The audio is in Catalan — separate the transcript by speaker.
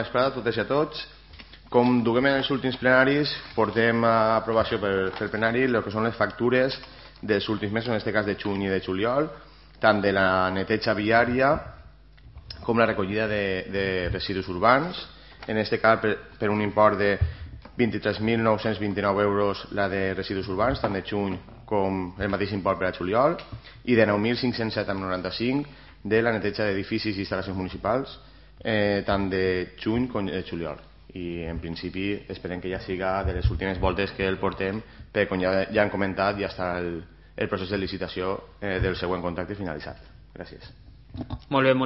Speaker 1: bona vesprada a totes i a tots. Com duguem en els últims plenaris, portem a aprovació pel plenari el que són les factures dels últims mesos, en aquest cas de juny i de juliol, tant de la neteja viària com la recollida de residus urbans, en aquest cas per un import de 23.929 euros la de residus urbans, tant de juny com el mateix import per a juliol, i de 9.507,95 de la neteja d'edificis i instal·lacions municipals, tant de juny com de juliol. I en principi esperem que ja siga de les últimes voltes que el portem, perquè com ja han comentat ja està el procés de licitació del següent contracte finalitzat. Gràcies.
Speaker 2: Molt bé, moltes